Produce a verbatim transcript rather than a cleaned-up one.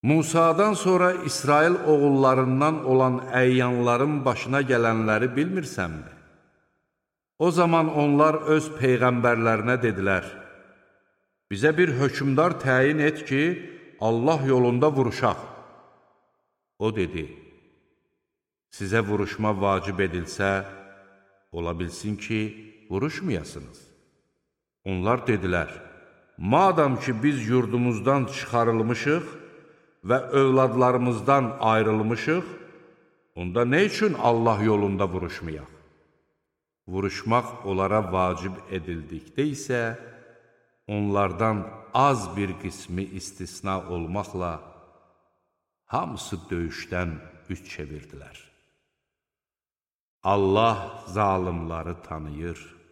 Musadan sonra İsrail oğullarından olan əyyanların başına gələnləri bilmirsənmi? O zaman onlar öz peyğəmbərlərinə dedilər, bizə bir hökmdar təyin et ki, Allah yolunda vuruşaq. O dedi, sizə vuruşma vacib edilsə, ola bilsin ki, vuruşmayasınız. Onlar dedilər, madam ki, biz yurdumuzdan çıxarılmışıq və övladlarımızdan ayrılmışıq, onda nə üçün Allah yolunda vuruşmayaq? Vuruşmaq onlara vacib edildikdə isə, onlardan az bir qismi istisna olmaqla, hamısı döyüşdən üç çevirdilər. Allah zalimları tanıyır.